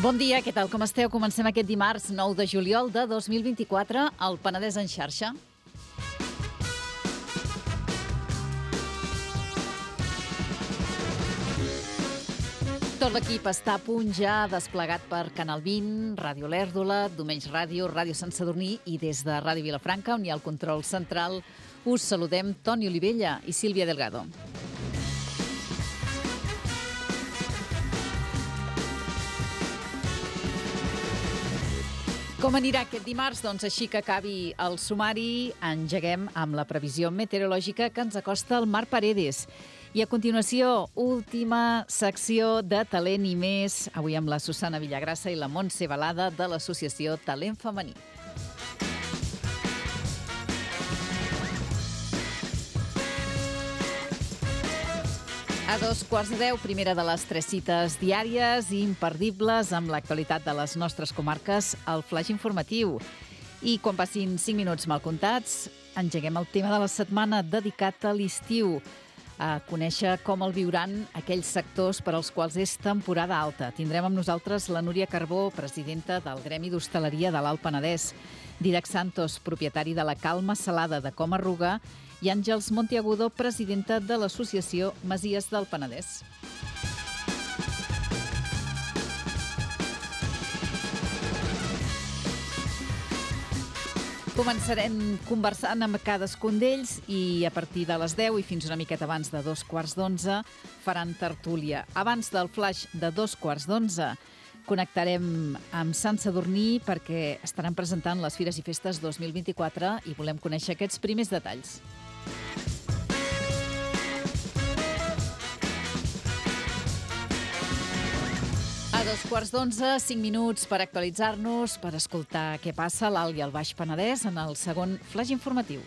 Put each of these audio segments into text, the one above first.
Bon dia, què tal? Com esteu? Comencem aquest dimarts 9 de juliol de 2024 al Penedès en xarxa. Tot l'equip està a punt ja desplegat per Canal 20, Ràdio L'Èrdola, Domenys Ràdio, Ràdio Sant Sadurní i des de Ràdio Vilafranca, on hi ha el control central, us saludem Toni Olivella i Sílvia Delgado. Com anirà aquest dimarts? Doncs així que acabi el sumari, engeguem amb la previsió meteorològica que ens acosta el Marc Paredes. I a continuació, última secció de Talent i Més, avui amb la Susana Villagrassa i la Montse Balada de l'associació Talent Femení. A 2:15, primera de les 3 cites diàries i imperdibles amb l'actualitat de les nostres comarques, el flaix informatiu. I quan passin 5 minuts mal comptats, engeguem el tema de la setmana dedicat a l'estiu, a conèixer com el viuran aquells sectors per als quals és temporada alta. Tindrem amb nosaltres la Núria Carbó, presidenta del Gremi d'Hostaleria de l'Alt Penedès, Didac Santos, propietari de la Calma Salada de Comarruga, i Àngels Monteagudo, presidenta de l'associació Masies del Penedès. Començarem conversant amb cadascun d'ells i a partir de les 10 i fins una miqueta abans de 11:15 faran tertúlia. Abans del flaix de 11:15 connectarem amb Sant Sadurní perquè estaran presentant les Fires i Festes 2024 i volem conèixer aquests primers detalls. A 2:15, 5 minuts per actualitzar-nos, per escoltar què passa a l'Alt i al Baix Penedès en el segon flaix informatiu.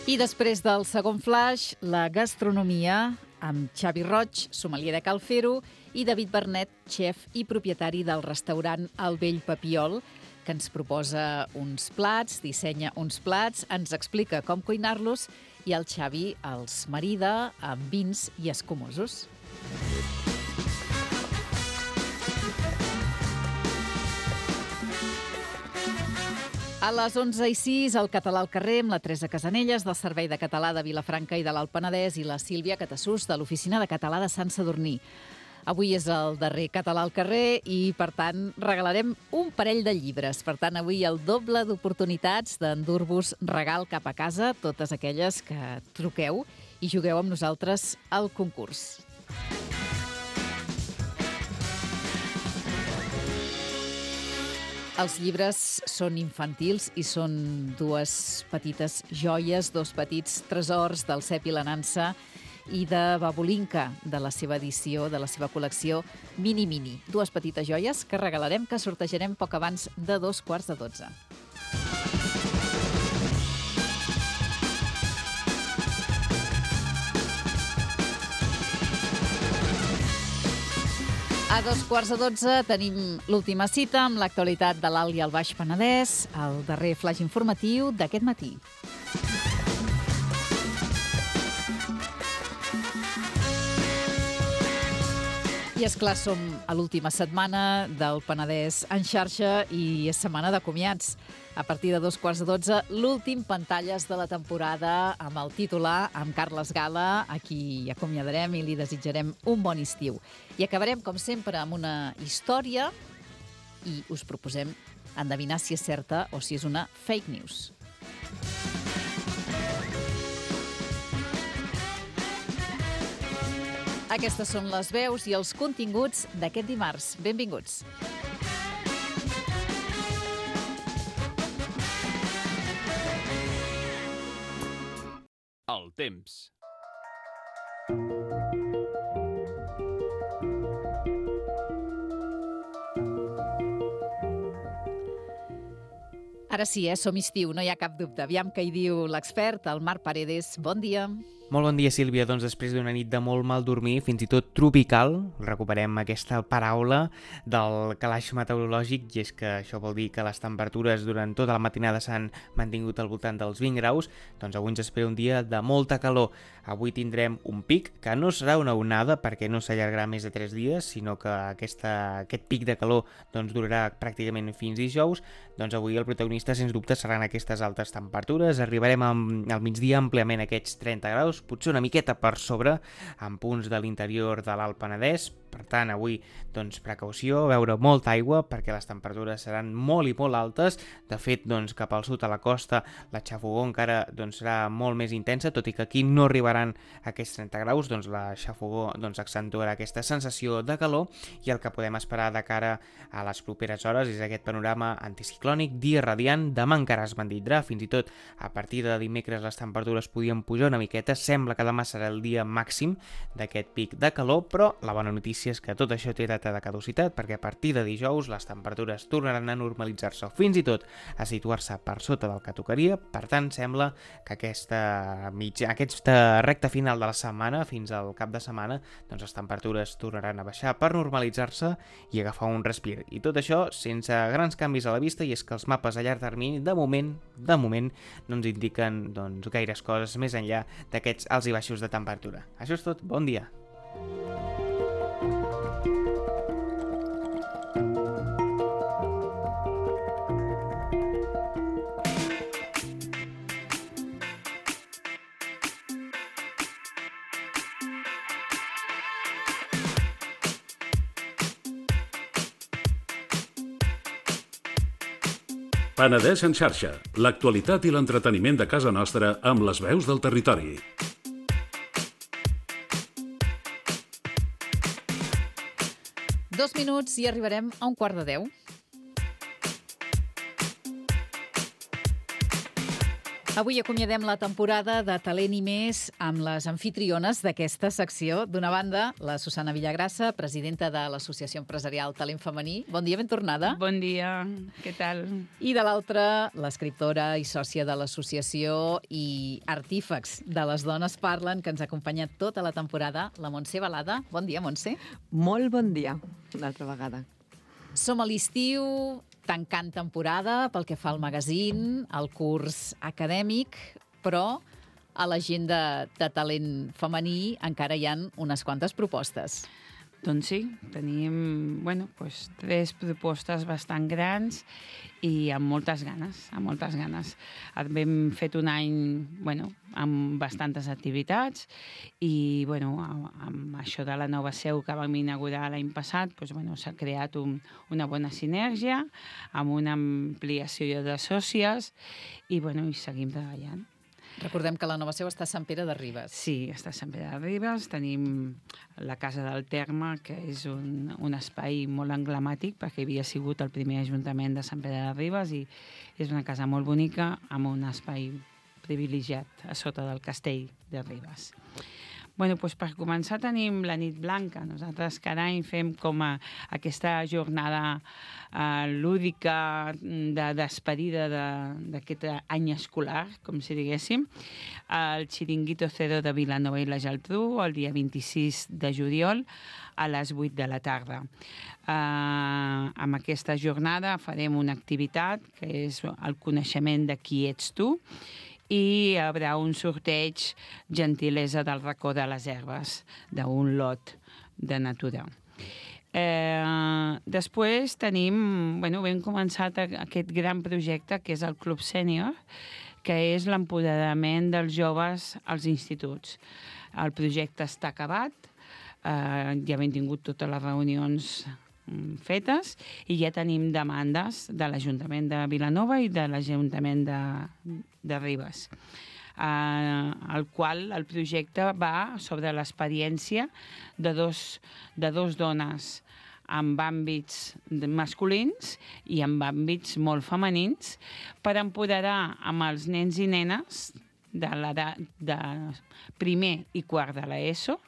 I després del segon flaix, la gastronomia amb Xavi Roig, sommelier de Cal Fer-ho, i David Bernet, xef i propietari del restaurant El Vell Papiol, que ens proposa uns plats, dissenya uns plats, ens explica com cuinar-los i el Xavi els marida amb vins i escumosos. A les 11:06, el Català al carrer amb la Teresa Casanelles, del Servei de Català de Vilafranca i de l'Alt Penedès, i la Sílvia Catassús, de l'Oficina de Català de Sant Sadurní. Avui és el darrer Català al carrer i, per tant, regalarem un parell de llibres. Per tant, avui el doble d'oportunitats d'endur-vos regal cap a casa, totes aquelles que truqueu i jugueu amb nosaltres al concurs. Els llibres són infantils i són dues petites joies, dos petits tresors del Cep i la Nansa i de Babolinka, de la seva edició, de la seva col·lecció Mini Mini. Dues petites joies que regalarem, que sortejarem poc abans de 11:45. A 11:45 tenim l'última cita amb l'actualitat de l'Alt i el Baix Penedès, el darrer flaix informatiu d'aquest matí. I esclar, som a l'última setmana del Penedès en xarxa i és setmana de comiats. A partir de 11:15, l'últim Pantalles de la temporada amb el titular, amb Carles Gala, a qui acomiadarem i li desitjarem un bon estiu. I acabarem, com sempre, amb una història i us proposem endevinar si és certa o si és una fake news. Aquestes són les veus i els continguts d'aquest dimarts. Benvinguts. El temps. Ara sí, som estiu, no hi ha cap dubte. Aviam què hi diu l'expert, el Marc Paredes. Bon dia. Molt bon dia, Sílvia. Doncs després d'una nit de molt mal dormir, fins i tot tropical, recuperem aquesta paraula del calaix meteorològic, i és que això vol dir que les temperatures durant tota la matinada s'han mantingut al voltant dels 20 graus, doncs avui ens espera un dia de molta calor. Avui tindrem un pic, que no serà una onada perquè no s'allargarà més de 3 dies, sinó que aquest pic de calor doncs, durarà pràcticament fins dijous. Doncs avui el protagonista, sens dubte, seran aquestes altes temperatures. Arribarem al migdia àmpliament a aquests 30 graus, potser una miqueta per sobre, en punts de l'interior de l'Alt Penedès. Per tant, avui, doncs, precaució, beure molta aigua, perquè les temperatures seran molt i molt altes. De fet, doncs, cap al sud, a la costa, la xafogor encara doncs, serà molt més intensa, tot i que aquí no arribaran aquests 30 graus, doncs la xafogor doncs, accentuarà aquesta sensació de calor, i el que podem esperar de cara a les properes hores és aquest panorama anticiclònic, dia radiant. Demà encara es mantindrà, fins i tot a partir de dimecres les temperatures podien pujar una miqueta. Sembla que demà serà el dia màxim d'aquest pic de calor, però la bona notícia és que tot això té data de caducitat, perquè a partir de dijous les temperatures tornaran a normalitzar-se o fins i tot a situar-se per sota del que tocaria. Per tant, sembla que aquesta recta final de la setmana, fins al cap de setmana, doncs les temperatures tornaran a baixar per normalitzar-se i agafar un respir. I tot això sense grans canvis a la vista, i és que els mapes a llarg termini, de moment, no ens indiquen doncs, gaires coses més enllà d'aquests alts i baixos de temperatura. Això és tot, bon dia! Penedès en xarxa, l'actualitat i l'entreteniment de casa nostra amb les veus del territori. Dos minuts i arribarem a 11:45. Avui acomiadem la temporada de Talent i Més amb les anfitriones d'aquesta secció. D'una banda, la Susana Villagrassa, presidenta de l'Associació Empresarial Talent Femení. Bon dia, ben tornada. Bon dia, què tal? I de l'altra, l'escriptora i sòcia de l'associació i artífex de Les Dones Parlen, que ens ha acompanyat tota la temporada, la Montse Balada. Bon dia, Montse. Molt bon dia, una altra vegada. Som a l'estiu, tancant temporada pel que fa al magazín, al curs acadèmic, però a l'agenda de talent femení encara hi ha unes quantes propostes. Doncs sí, tenim tres propostes bastant grans i amb moltes ganes, Hem fet un any amb bastantes activitats i amb això de la nova seu que vam inaugurar l'any passat s'ha creat una bona sinergia amb una ampliació de sòcies i seguim treballant. Recordem que la nova seu està a Sant Pere de Ribes. Sí, està a Sant Pere de Ribes. Tenim la Casa del Terme, que és un espai molt emblemàtic perquè havia sigut el primer ajuntament de Sant Pere de Ribes i és una casa molt bonica amb un espai privilegiat a sota del castell de Ribes. Per començar tenim la nit blanca. Nosaltres cada any fem com aquesta jornada lúdica de despedida d'aquest any escolar, com si diguéssim. El Chiringuito Cero de Vilanova i la Geltrú, el dia 26 de juliol, a les 8 de la tarda. Amb aquesta jornada farem una activitat que és el coneixement de qui ets tu, i hi haurà un sorteig gentilesa del racó de les herbes, d'un lot de natura. Després tenim, hem començat aquest gran projecte que és el Club Sènior, que és l'empoderament dels joves als instituts. El projecte està acabat, ja hem tingut totes les reunions fetes i ja tenim demandes de l'Ajuntament de Vilanova i de l'Ajuntament de Ribes, el projecte va sobre l'experiència de dos dones amb àmbits masculins i amb àmbits molt femenins per empoderar amb els nens i nenes de l'edat de primer i quart de l'ESO,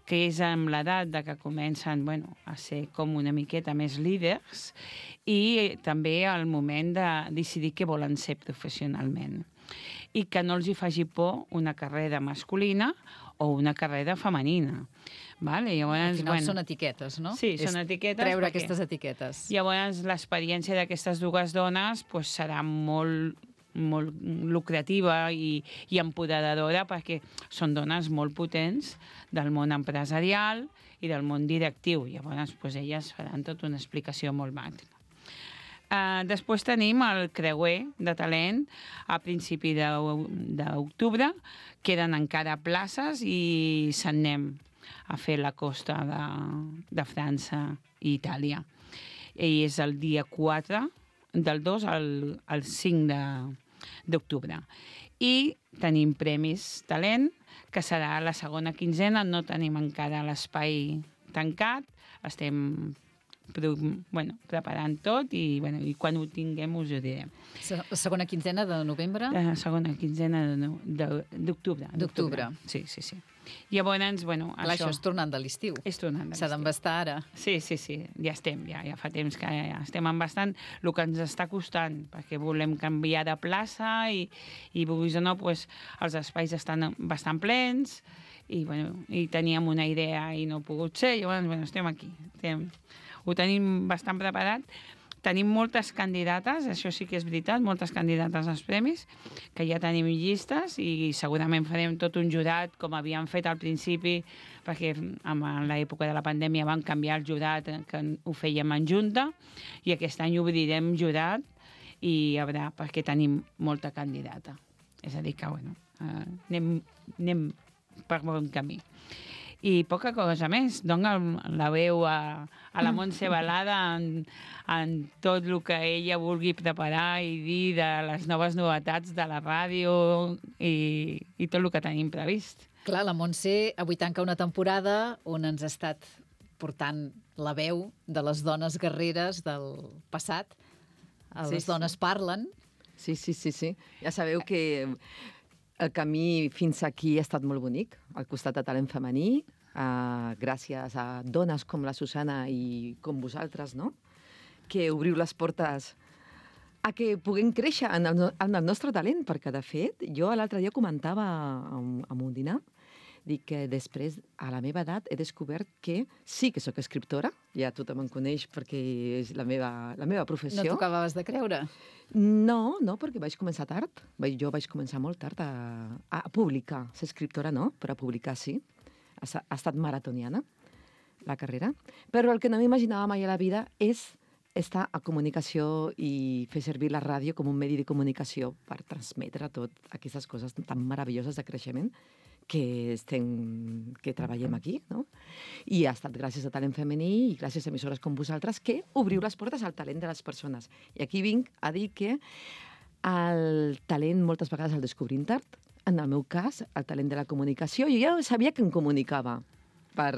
que és amb l'edat de que comencen a ser com una miqueta més líders i també el moment de decidir què volen ser professionalment. I que no els hi faci por una carrera masculina o una carrera femenina. Vale? Llavors, al final són etiquetes, no? Sí, són etiquetes. Treure aquestes etiquetes. Llavors, l'experiència d'aquestes dues dones serà molt lucrativa i empoderadora perquè són dones molt potents del món empresarial i del món directiu. Llavors, elles faran tota una explicació molt màxima. Després tenim el creuer de talent a principi d'octubre. Queden encara places i se'n anem a fer la costa de França i Itàlia. I és el dia 4, del 2 al 5 d'octubre. I tenim premis talent, que serà la segona quinzena. No tenim encara l'espai tancat. Estem preparant tot i quan ho tinguem us ho direm. La segona quinzena de novembre? La segona quinzena d'octubre. D'octubre. Sí. Llavors, això és tornant de l'estiu. És tornant de l'estiu. S'ha d'embastar ara. Sí. Ja estem, ja fa temps que ja estem embastant. El que ens està costant, perquè volem canviar de plaça i vulguis o no, els espais estan bastant plens i teníem una idea i no ha pogut ser. Llavors, estem aquí. Ho tenim bastant preparat. Tenim moltes candidates, això sí que és veritat, moltes candidates als premis, que ja tenim llistes i segurament farem tot un jurat, com havíem fet al principi, perquè en l'època de la pandèmia vam canviar el jurat, que ho fèiem en junta, i aquest any obrirem jurat i haurà, perquè tenim molta candidata. És a dir, que anem per bon camí. I poca cosa més. Dona la veu a la Montse Balada en tot el que ella vulgui preparar i dir de les noves novetats de la ràdio i tot el que tenim previst. Clar, la Montse avui tanca una temporada on ens ha estat portant la veu de les dones guerreres del passat. Les dones parlen. Sí. Ja sabeu que el camí fins aquí ha estat molt bonic, al costat de talent femení, gràcies a dones com la Susana i com vosaltres, no? Que obriu les portes a que puguem créixer en el nostre talent, perquè, de fet, jo l'altre dia comentava en un dinar, dic que després, a la meva edat, he descobert que sí que sóc escriptora, ja tothom em coneix perquè és la meva professió. No t'ho acabaves de creure? No, perquè vaig començar tard. Jo vaig començar molt tard a publicar. Ser escriptora no, però a publicar sí. Ha estat maratoniana, la carrera. Però el que no m'imaginava mai a la vida és estar a comunicació i fer servir la ràdio com un medi de comunicació per transmetre tot aquestes coses tan meravelloses de creixement que treballem aquí, no? I ha estat gràcies a Talent Femení i gràcies a emissores com vosaltres que obriu les portes al talent de les persones. I aquí vinc a dir que el talent moltes vegades el descobrim tard. En el meu cas, el talent de la comunicació, jo ja sabia que em comunicava per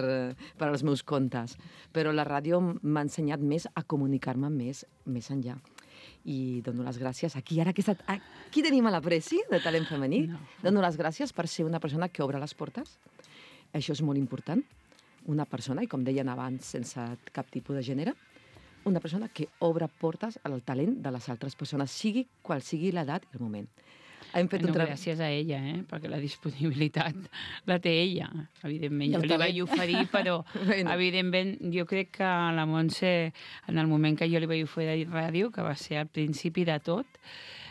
als meus contes, però la ràdio m'ha ensenyat més a comunicar-me més enllà. I dono les gràcies aquí, ara que aquí tenim a la Preci de Talent Femení. No. Dono les gràcies per ser una persona que obre les portes. Això és molt important. Una persona, i com deien abans, sense cap tipus de gènere, una persona que obre portes al talent de les altres persones, sigui qual sigui l'edat i el moment. Gràcies a ella, perquè la disponibilitat la té ella, evidentment. Jo li vaig oferir, però evidentment jo crec que la Montse, en el moment que jo li vaig oferir ràdio, que va ser al principi de tot,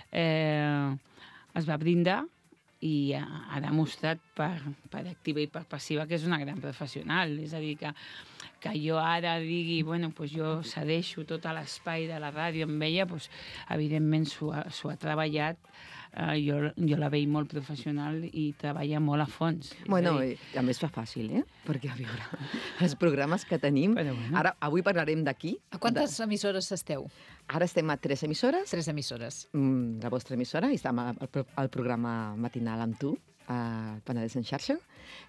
es va brindar i ha demostrat per activa i per passiva que és una gran professional. És a dir, que jo ara digui, jo cedeixo tot l'espai de la ràdio amb ella, evidentment s'ho ha treballat. Jo la veig molt professional i treballa molt a fons. A més fa fàcil, perquè a veure, els programes que tenim... Ara, avui parlarem d'aquí. A quantes emissores esteu? Ara estem a 3 emissores. 3 emissores. La vostra emissora, i estem al programa matinal amb tu, al Penedès en xarxa.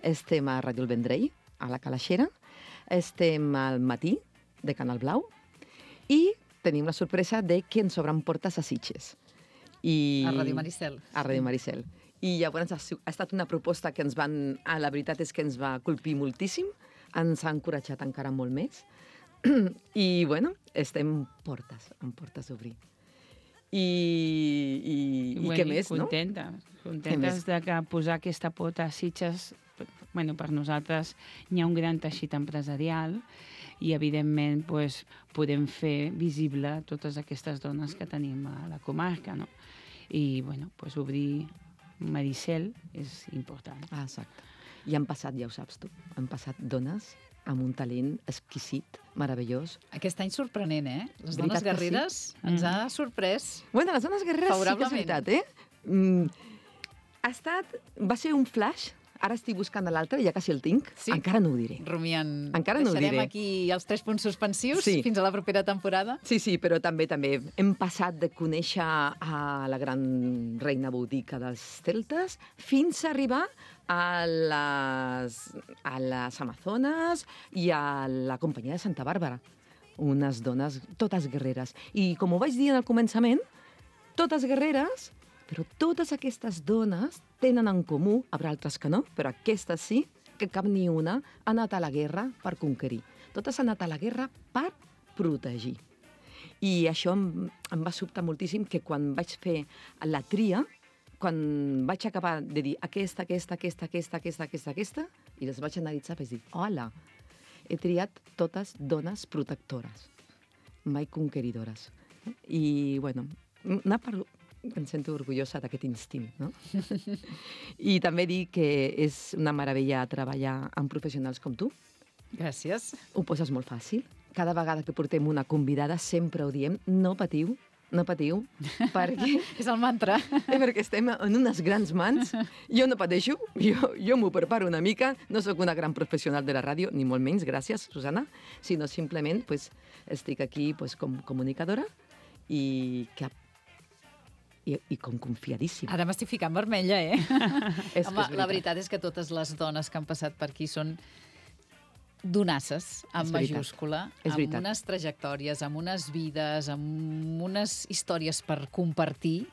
Estem a Ràdio El Vendrell, a la Calaixera. Estem al matí, de Canal Blau. I tenim la sorpresa de que ens obren portes a Sitges. A Ràdio Maricel. A Ràdio Maricel. I llavors ha estat una proposta que la veritat és que ens va colpir moltíssim, ens ha encoratjat encara molt més. I, bueno, estem en portes d'obrir. I què més, no? Contentes de que posar aquesta pota a Sitges, per nosaltres hi ha un gran teixit empresarial i, evidentment, podem fer visible totes aquestes dones que tenim a la comarca, no? I, obrir Maricel és important. Exacte. I han passat, ja ho saps tu, han passat dones amb un talent exquisit, meravellós. Aquest any sorprenent, eh? Les dones guerreres ens ha sorprès. Bueno, les dones guerreres sí que és veritat, eh? Va ser un flash. Ara estic buscant l'altre, ja quasi el tinc. Sí? Encara no ho diré. Rumiant. Encara no ho diré. Deixarem aquí els 3 punts suspensius fins a la propera temporada? Sí, però també hem passat de conèixer a la gran reina botica dels celtes fins a arribar a les Amazones i a la companyia de Santa Bàrbara. Unes dones totes guerreres. I com ho vaig dir en el començament, totes guerreres, però totes aquestes dones tenen en comú, hi haurà altres que no, però aquestes sí, que cap ni una ha anat a la guerra per conquerir. Totes han anat a la guerra per protegir. I això em va sobtar moltíssim, que quan vaig fer la tria, quan vaig acabar de dir aquesta, i les vaig analitzar, vaig dir, hola, he triat totes dones protectores, mai conqueridores. I, bueno, em sento orgullosa d'aquest instint, no? I també dir que és una meravella treballar amb professionals com tu. Gràcies. Ho poses molt fàcil. Cada vegada que portem una convidada sempre ho diem, no patiu, perquè... És el mantra. Perquè estem en unes grans mans. Jo no pateixo, jo m'ho preparo una mica, no sóc una gran professional de la ràdio, ni molt menys, gràcies, Susana, sinó simplement estic aquí com comunicadora i com confiadíssima. Ara m'estic ficant vermella, eh? Home, la veritat és que totes les dones que han passat per aquí són donasses, amb majúscula, amb unes trajectòries, amb unes vides, amb unes històries per compartir,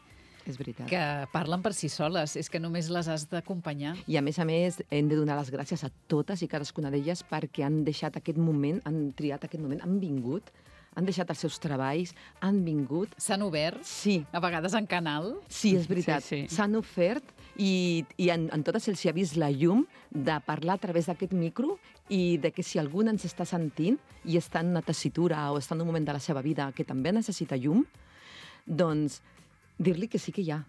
és veritat, que parlen per si soles. És que només les has d'acompanyar. I a més, hem de donar les gràcies a totes i cadascuna d'elles perquè han deixat aquest moment, han triat aquest moment, han vingut, han deixat els seus treballs, han vingut... S'han obert? Sí. A vegades en canal? Sí, és veritat. Sí. S'han ofert i en totes els hi ha vist la llum de parlar a través d'aquest micro i de que si algú ens està sentint i està en una tessitura o està en un moment de la seva vida que també necessita llum, doncs dir-li que sí que hi ha.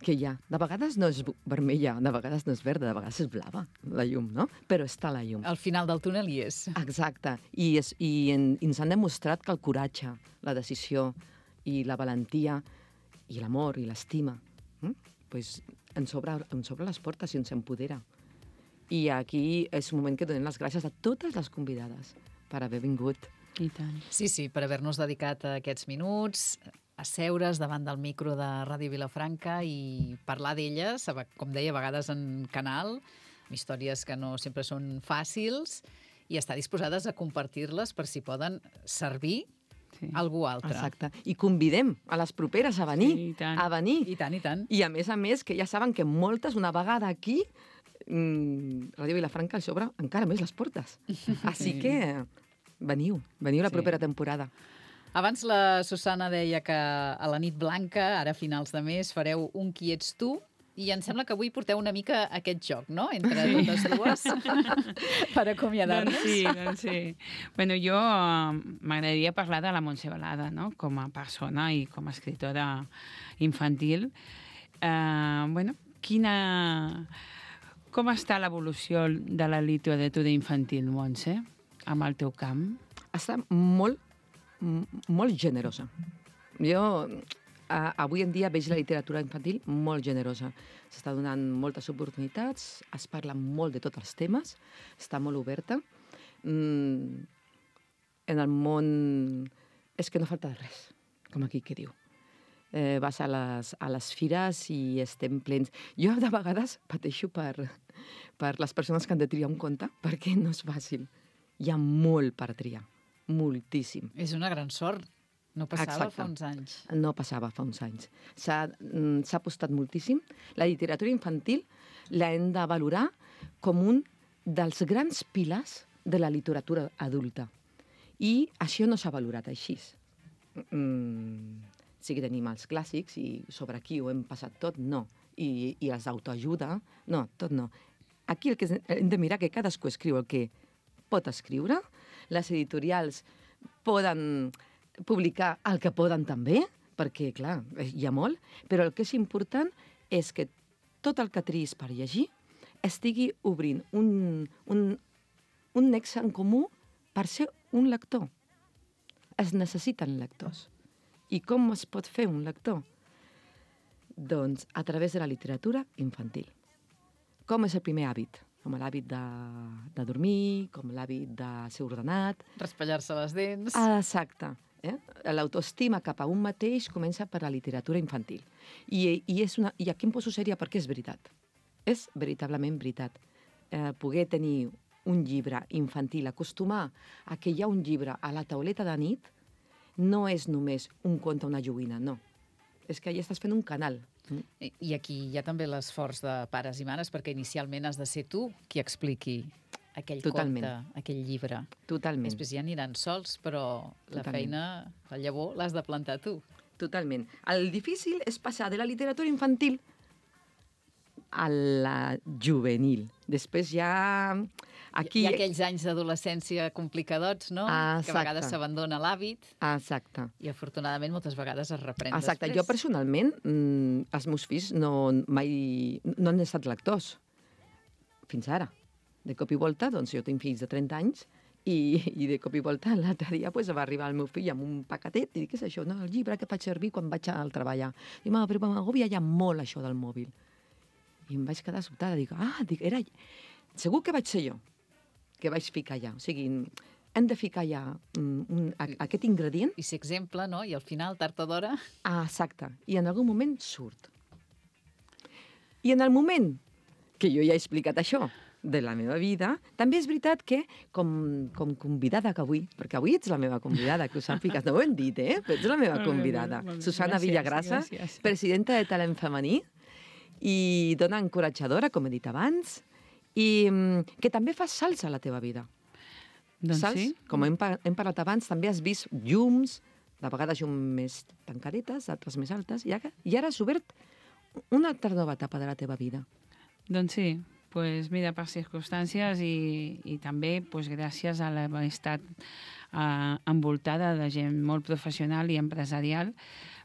De vegades no és vermella, de vegades no és verda, de vegades és blava, la llum, no? Però està la llum. Al final del túnel hi és. Exacte. I ens han demostrat que el coratge, la decisió i la valentia i l'amor i l'estima ens obre les portes i ens empodera. I aquí és un moment que donem les gràcies a totes les convidades per haver vingut. I tant. Sí, per haver-nos dedicat a aquests minuts, asseure's davant del micro de Ràdio Vilafranca i parlar d'elles, com deia, a vegades en canal, amb històries que no sempre són fàcils, i estar disposades a compartir-les per si poden servir algú altre. Exacte. I convidem a les properes a venir. Sí, i tant. A venir. I tant, i tant. I a més, que ja saben que moltes, una vegada aquí, Ràdio Vilafranca els obre encara més les portes. Així que veniu la propera temporada. Abans la Susana deia que a la nit blanca, ara a finals de mes, fareu un Qui ets tu, i em sembla que avui porteu una mica aquest joc, no?, entre totes dues, per acomiadar-nos. Doncs sí. Bueno, jo m'agradaria parlar de la Montse Balada, no?, com a persona i com a escriptora infantil. Com està l'evolució de la literatura infantil, Montse, amb el teu camp? Està molt generosa. Jo avui en dia veig la literatura infantil molt generosa. S'està donant moltes oportunitats, es parla molt de tots els temes, està molt oberta. En el món és que no falta de res, com aquí que diu. Vas a les fires i estem plens. Jo de vegades pateixo per les persones que han de triar un conte, perquè no és fàcil. Hi ha molt per triar. Moltíssim. És una gran sort No passava Exacte. fa uns anys. No passava fa uns anys. S'ha apostat moltíssim. La literatura infantil l'hem de valorar com un dels grans pilars de la literatura adulta. I això no s'ha valorat així. Sí que tenim els clàssics i sobre aquí ho hem passat tot, no. I els d'autoajuda, no, tot no. Aquí el que hem de mirar que cadascú escriu el que pot escriure, les editorials poden publicar el que poden també, perquè, clar, hi ha molt, però el que és important és que tot el que triïs per llegir estigui obrint un nexe en comú per ser un lector. Es necessiten lectors. I com es pot fer un lector? Doncs a través de la literatura infantil. Com és el primer hàbit? Com l'hàbit de dormir, com l'hàbit de ser ordenat. Raspallar-se les dents. Exacte. L'autoestima cap a un mateix comença per la literatura infantil. I aquí em poso sèria perquè és veritat. És veritablement veritat. Poder tenir un llibre infantil, acostumar a que hi ha un llibre a la tauleta de nit, no és només un conte, una joguina, no. És que ja estàs fent un canal. I aquí hi ha també l'esforç de pares i mares, perquè inicialment has de ser tu qui expliqui aquell Totalment. conte, aquell llibre. Totalment. Després ja aniran sols, però la feina, la llavor, l'has de plantar tu. Totalment. El difícil és passar de la literatura infantil a la juvenil. Després ja... Aquí... Hi ha aquells anys d'adolescència complicadots, no? Exacte. Que a vegades s'abandona l'hàbit. Exacte. I afortunadament moltes vegades es reprèn Exacte. després. Jo personalment, els meus fills mai no han estat lectors. Fins ara. De cop i volta, doncs jo tinc fills de 30 anys i de cop i volta l'altre dia va arribar el meu fill amb un paquetet i dic, què és això? No, el llibre que faig servir quan vaig al treballar. Dic, mama, però m'agobia ja molt això del mòbil. I em vaig quedar sobtada. Dic, era... Segur que vaig ser jo, que vaig ficar allà. O sigui, hem de ficar allà aquest ingredient. I ser exemple, no? I al final, tard o d'hora... Exacte. I en algun moment surt. I en el moment que jo ja he explicat això de la meva vida, també és veritat que, com convidada que avui, perquè avui ets la meva convidada, que ho sàpigues, no ho hem dit, però ets la meva convidada. Susana Villagrasa, presidenta de Talent Femení, i dona encoratjadora, com he dit abans, i que també fas salts a la teva vida. Doncs Saps? sí. Com hem parlat abans, també has vist llums, de vegades llums més tancadetes, d'altres més altes, i ara has obert una altra nova etapa de la teva vida. Doncs sí, pues mira, per circumstàncies i també pues, gràcies a l'haver estat envoltada de gent molt professional i empresarial,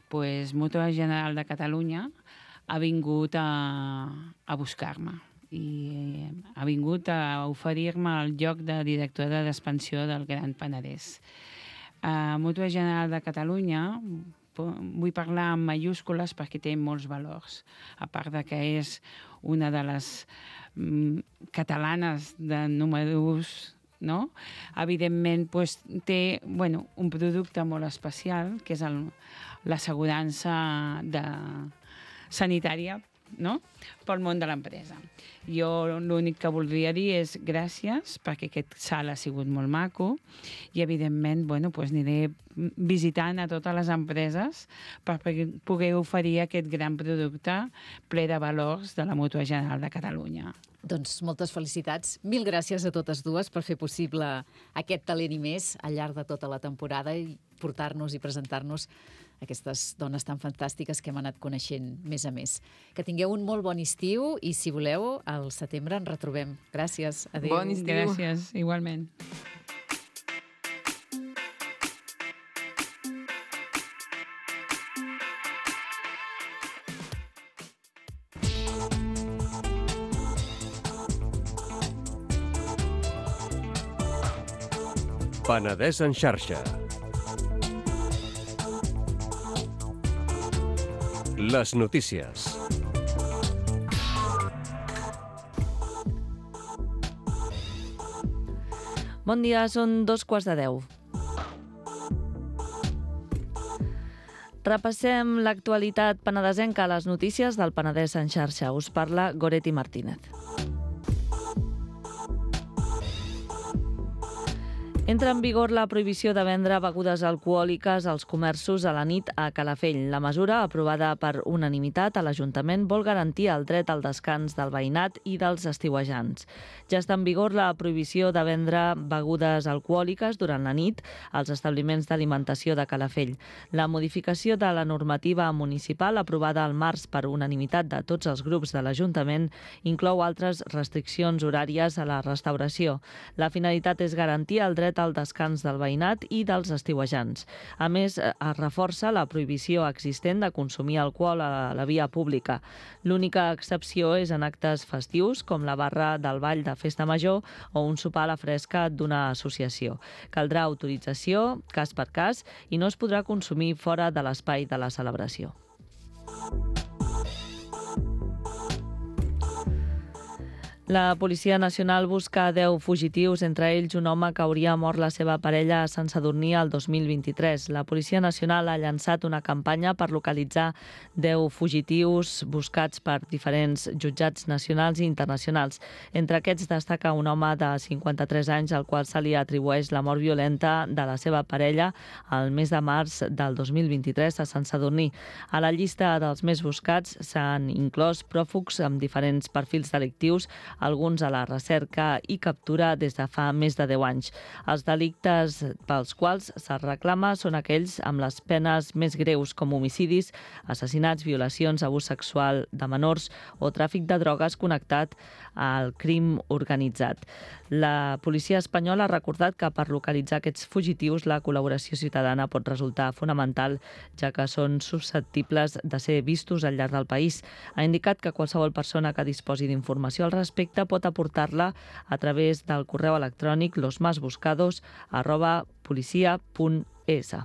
pues, Mútua General de Catalunya ha vingut a buscar-me i ha vingut a oferir-me el lloc de directora d'expansió del Gran Penedès. Mútua General de Catalunya vull parlar en mayúscules perquè té molts valors, a part de que és una de les catalanes de número 1, no? Evidentment pues, té un producte molt especial, que és l'assegurança sanitària, no? Pel món de l'empresa. Jo l'únic que voldria dir és gràcies, perquè aquest salt ha sigut molt maco i, evidentment, pues aniré visitant a totes les empreses per poder oferir aquest gran producte ple de valors de la Mútua General de Catalunya. Doncs moltes felicitats. Mil gràcies a totes dues per fer possible aquest Talent i més al llarg de tota la temporada i portar-nos i presentar-nos aquestes dones tan fantàstiques que hem anat coneixent més a més. Que tingueu un molt bon estiu i, si voleu, al setembre ens retrobem. Gràcies. Adéu. Bon estiu. Gràcies, igualment. Penedès en xarxa. Les notícies. Bon dia, són 2:15. Repassem l'actualitat penedesenca a les notícies del Penedès en xarxa. Us parla Goretti Martínez. Entra en vigor la prohibició de vendre begudes alcohòliques als comerços a la nit a Calafell. La mesura, aprovada per unanimitat a l'Ajuntament, vol garantir el dret al descans del veïnat i dels estiuejants. Ja està en vigor la prohibició de vendre begudes alcohòliques durant la nit als establiments d'alimentació de Calafell. La modificació de la normativa municipal, aprovada al març per unanimitat de tots els grups de l'Ajuntament, inclou altres restriccions horàries a la restauració. La finalitat és garantir el dret al descans del veïnat i dels estiuejants. A més, es reforça la prohibició existent de consumir alcohol a la via pública. L'única excepció és en actes festius, com la barra del ball de Festa Major o un sopar a la fresca d'una associació. Caldrà autorització, cas per cas, i no es podrà consumir fora de l'espai de la celebració. La Policia Nacional busca 10 fugitius, entre ells un home que hauria mort la seva parella a Sant Sadurní el 2023. La Policia Nacional ha llançat una campanya per localitzar 10 fugitius buscats per diferents jutjats nacionals i internacionals. Entre aquests destaca un home de 53 anys al qual se li atribueix la mort violenta de la seva parella el mes de març del 2023 a Sant Sadurní. A la llista dels més buscats s'han inclòs pròfugs amb diferents perfils delictius, alguns a la recerca i captura des de fa més de 10 anys. Els delictes pels quals se'ls reclama són aquells amb les penes més greus, com homicidis, assassinats, violacions, abús sexual de menors o tràfic de drogues connectat al crim organitzat. La policia espanyola ha recordat que per localitzar aquests fugitius la col·laboració ciutadana pot resultar fonamental, ja que són susceptibles de ser vistos al llarg del país. Ha indicat que qualsevol persona que disposi d'informació al respecte pot aportar-la a través del correu electrònic losmasbuscados@policia.es.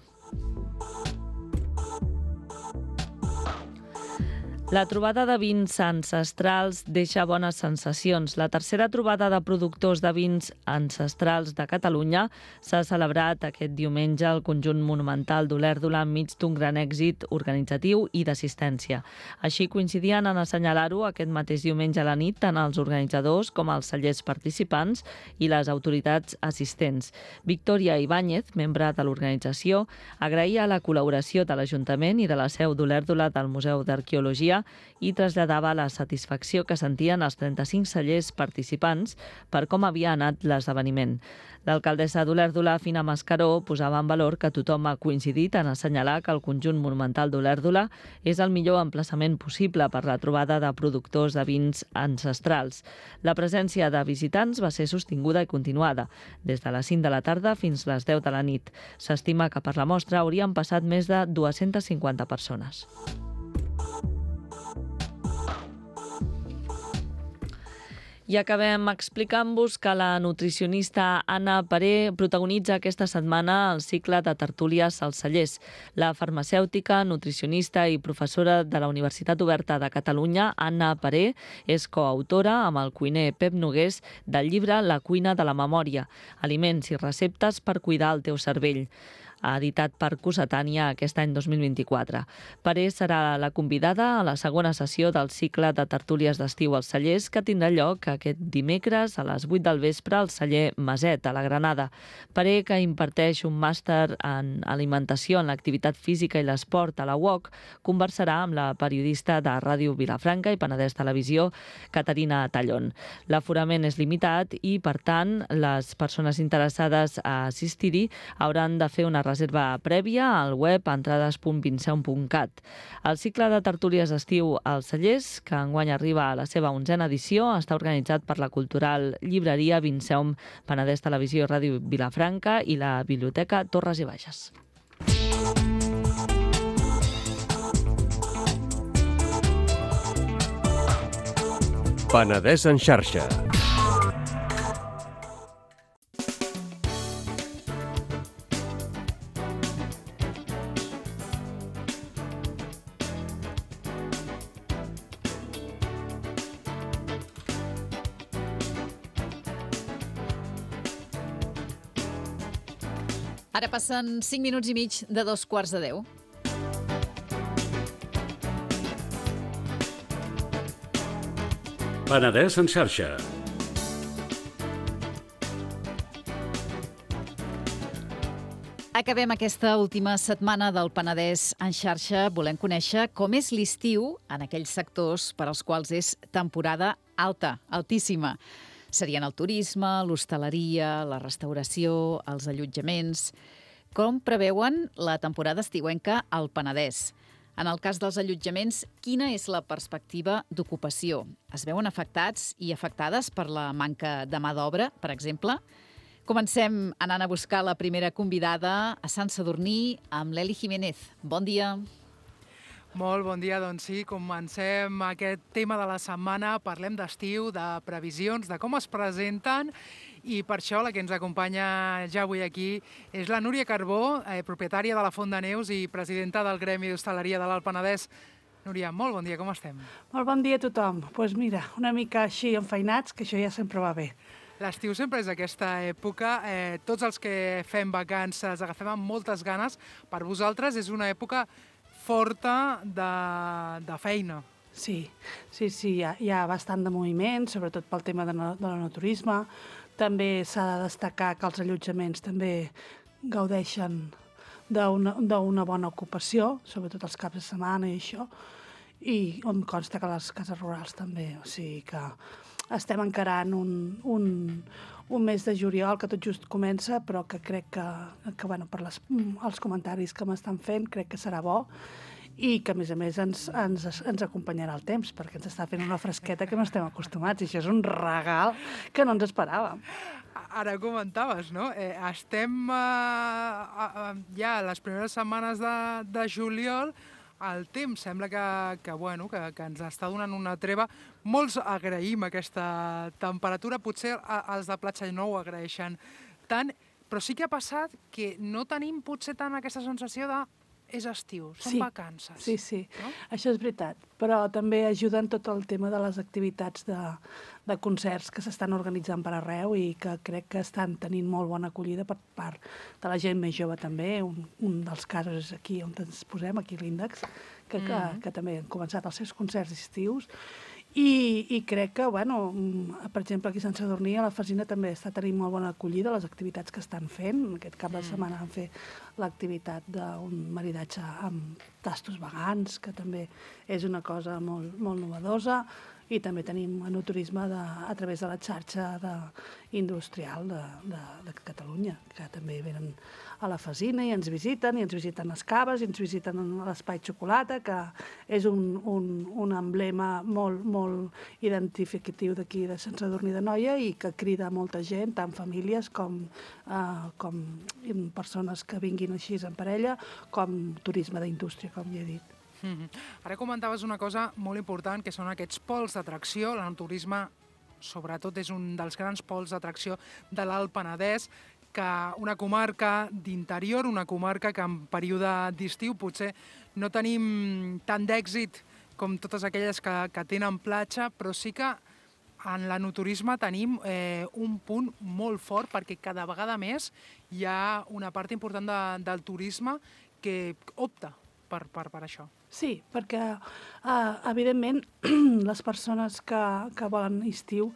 La trobada de vins ancestrals deixa bones sensacions. La tercera trobada de productors de vins ancestrals de Catalunya s'ha celebrat aquest diumenge al conjunt monumental d'Olèrdola enmig d'un gran èxit organitzatiu i d'assistència. Així coincidien en assenyalar-ho aquest mateix diumenge a la nit tant els organitzadors com els cellers participants i les autoritats assistents. Victòria Ibáñez, membre de l'organització, agraïa la col·laboració de l'Ajuntament i de la seu d'Olèrdola del Museu d'Arqueologia i traslladava la satisfacció que sentien els 35 cellers participants per com havia anat l'esdeveniment. L'alcaldessa d'Olèrdola, Fina Mascaró, posava en valor que tothom ha coincidit en assenyalar que el conjunt monumental d'Olèrdola és el millor emplaçament possible per la trobada de productors de vins ancestrals. La presència de visitants va ser sostinguda i continuada, des de les 5 de la tarda fins les 10 de la nit. S'estima que per la mostra haurien passat més de 250 persones. I acabem explicant-vos que la nutricionista Anna Paré protagonitza aquesta setmana el cicle de tertúlies als cellers. La farmacèutica, nutricionista i professora de la Universitat Oberta de Catalunya, Anna Paré, és coautora amb el cuiner Pep Nogués del llibre La cuina de la memòria, aliments i receptes per cuidar el teu cervell, editat per Cossetània aquest any 2024. Paré serà la convidada a la segona sessió del cicle de tertúlies d'estiu als cellers que tindrà lloc aquest dimecres a les 8 del vespre al celler Maset, a la Granada. Paré, que imparteix un màster en alimentació en l'activitat física i l'esport a la UOC, conversarà amb la periodista de Ràdio Vilafranca i Penedès Televisió, Caterina Tallón. L'aforament és limitat i, per tant, les persones interessades a assistir-hi hauran de fer una reserva prèvia al web entrades.vinceum.cat. El cicle de tertúlies d'estiu als cellers, que enguany arriba a la seva 11a edició, està organitzat per la cultural llibreria Vinceum, Penedès Televisió, Ràdio Vilafranca i la Biblioteca Torres i Bages. Penedès en xarxa. Ara passen 5 minuts i mig de 9:45. Penedès en xarxa. Acabem aquesta última setmana del Penedès en xarxa. Volem conèixer com és l'estiu en aquells sectors per als quals és temporada alta, altíssima. Serien el turisme, l'hostaleria, la restauració, els allotjaments. Com preveuen la temporada estiuenca al Penedès? En el cas dels allotjaments, quina és la perspectiva d'ocupació? Es veuen afectats i afectades per la manca de mà d'obra, per exemple? Comencem anant a buscar la primera convidada a Sant Sadurní amb l'Eli Jiménez. Bon dia. Molt bon dia, doncs sí, comencem aquest tema de la setmana, parlem d'estiu, de previsions, de com es presenten, i per això la que ens acompanya ja avui aquí és la Núria Carbó, propietària de la Font de Neus i presidenta del Gremi d'Hostaleria de l'Alt Penedès. Núria, molt bon dia, com estem? Molt bon dia a tothom. Doncs mira, una mica així enfeinats, que això ja sempre va bé. L'estiu sempre és aquesta època, tots els que fem vacances agafem amb moltes ganes. Per vosaltres és una època forta de feina. Sí, hi ha bastant de moviment, sobretot pel tema de l'enoturisme. També s'ha de destacar que els allotjaments també gaudeixen d'una bona ocupació, sobretot els caps de setmana i això, i on consta que les cases rurals també, o sigui que estem encarant un mes de juliol que tot just comença, però que crec que bueno, per els comentaris que m'estan fent, crec que serà bo i que, a més, ens acompanyarà el temps, perquè ens està fent una fresqueta que no estem acostumats, i això és un regal que no ens esperàvem. Ara comentaves, no? Estem ja a les primeres setmanes de juliol. El temps sembla que ens està donant una treva. Molts agraïm aquesta temperatura, potser els de Platja no ho agraeixen tant, però sí que ha passat que no tenim potser tant aquesta sensació de és estiu, són vacances. Sí, no? Això és veritat, però també ajuden tot el tema de les activitats de concerts que s'estan organitzant per arreu i que crec que estan tenint molt bona acollida per part de la gent més jove també. Un dels casos és aquí on ens posem, aquí a l'Índex, que també han començat els seus concerts estius. I crec que, per exemple, aquí a Sant Sadurní, a la Fasina també està tenint molt bona acollida les activitats que estan fent. Aquest cap de setmana van fer l'activitat d'un maridatge amb tastos vegans, que també és una cosa molt, molt novedosa. I també tenim enoturisme a través de la xarxa industrial de Catalunya, que també venen a la Fasina i ens visiten les caves, i ens visiten l'Espai Xocolata, que és un emblema molt, molt identificatiu d'aquí de Sant Sadurní d'Anoia i que crida molta gent, tant famílies com persones que vinguin així en parella, com turisme d'indústria, com ja he dit. Ara comentaves una cosa molt important, que són aquests pols d'atracció. L'enoturisme, sobretot, és un dels grans pols d'atracció de l'Alt Penedès, que una comarca d'interior, una comarca que en període d'estiu potser no tenim tant d'èxit com totes aquelles que tenen platja, però sí que en l'enoturisme tenim un punt molt fort, perquè cada vegada més hi ha una part important del turisme que opta per això. Sí, perquè, evidentment, les persones que volen estiu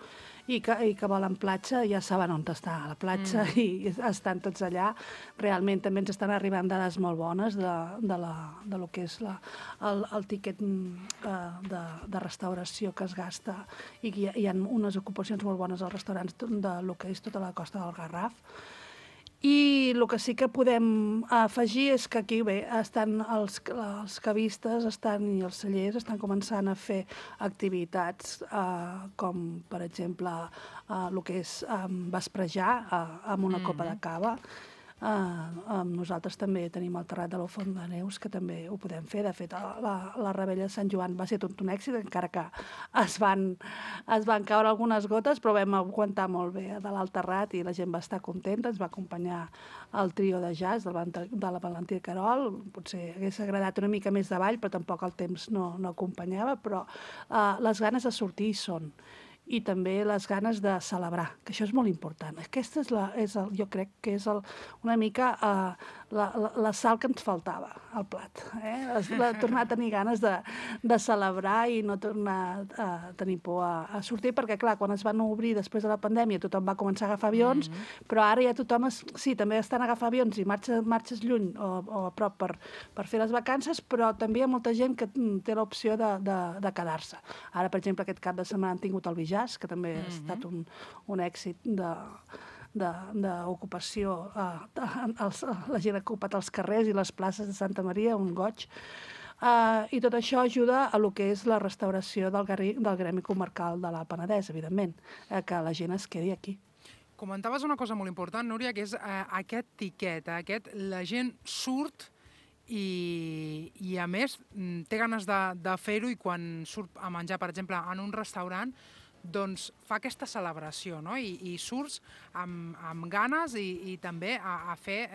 i que volen platja ja saben on està la platja i estan tots allà. Realment també ens estan arribant dades molt bones de lo que és el tíquet de restauració que es gasta, i hi ha unes ocupacions molt bones als restaurants de lo que és tota la costa del Garraf. I el que sí que podem afegir és que aquí estan els cavistes i els cellers estan començant a fer activitats com, per exemple, el que és vesprejar amb una copa de cava. Nosaltres també tenim el terrat de la Font de Neus, que també ho podem fer. De fet, la Rebella de Sant Joan va ser tot un èxit, encara que es van caure algunes gotes, però vam aguantar molt bé de l'alt terrat i la gent va estar contenta. Ens va acompanyar el trio de jazz de la Valentí Carol. Potser hagués agradat una mica més de ball, però tampoc el temps no acompanyava, però les ganes de sortir hi són. I també les ganes de celebrar, que això és molt important. Aquesta jo crec que és una mica la sal que ens faltava al plat. Tornar a tenir ganes de celebrar i no tornar a tenir por a sortir, perquè clar, quan es van obrir després de la pandèmia tothom va començar a agafar avions, però ara ja tothom, sí, també estan a agafar avions i marxes lluny o a prop per fer les vacances, però també hi ha molta gent que té l'opció de quedar-se. Ara, per exemple, aquest cap de setmana han tingut el Bijàs, que també ha estat un èxit d'ocupació. La gent ha ocupat els carrers i les places de Santa Maria, un goig. I tot això ajuda a lo que és la restauració del gremi comarcal de l'Alt Penedès, evidentment, que la gent es quedi aquí. Comentaves una cosa molt important, Núria, que és aquest tiquet, la gent surt i a més té ganes de fer-ho, i quan surt a menjar, per exemple, en un restaurant, doncs fa aquesta celebració, no? I surts amb ganes i també a fer,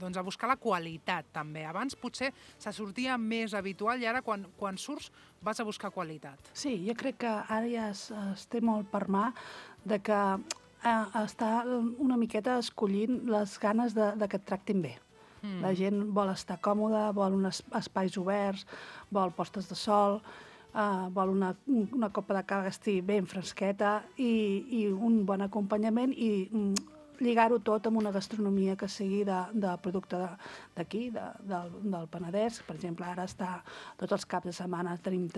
doncs a buscar la qualitat, també. Abans potser se sortia més habitual i ara quan surts vas a buscar qualitat. Sí, jo crec que ara ja es té molt per mà de que està una miqueta escollint les ganes de que et tractin bé. La gent vol estar còmoda, vol uns espais oberts, vol postes de sol, vol una copa de cava que estigui ben fresqueta i un bon acompanyament i lligar-ho tot amb una gastronomia que sigui de producte d'aquí, del Penedès. Per exemple, ara tots els caps de setmana tenim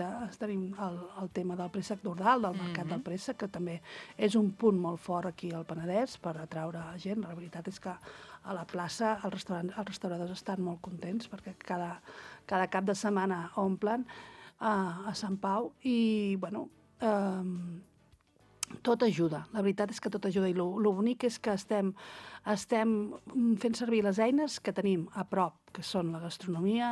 el tema del préssec d'Ordal, del mercat del préssec, que també és un punt molt fort aquí al Penedès per atraure gent. La veritat és que a la plaça els restauradors estan molt contents perquè cada cap de setmana omplen a Sant Pau i, bueno, tot ajuda. La veritat és que tot ajuda i lo bonic és que estem fent servir les eines que tenim a prop, que són la gastronomia,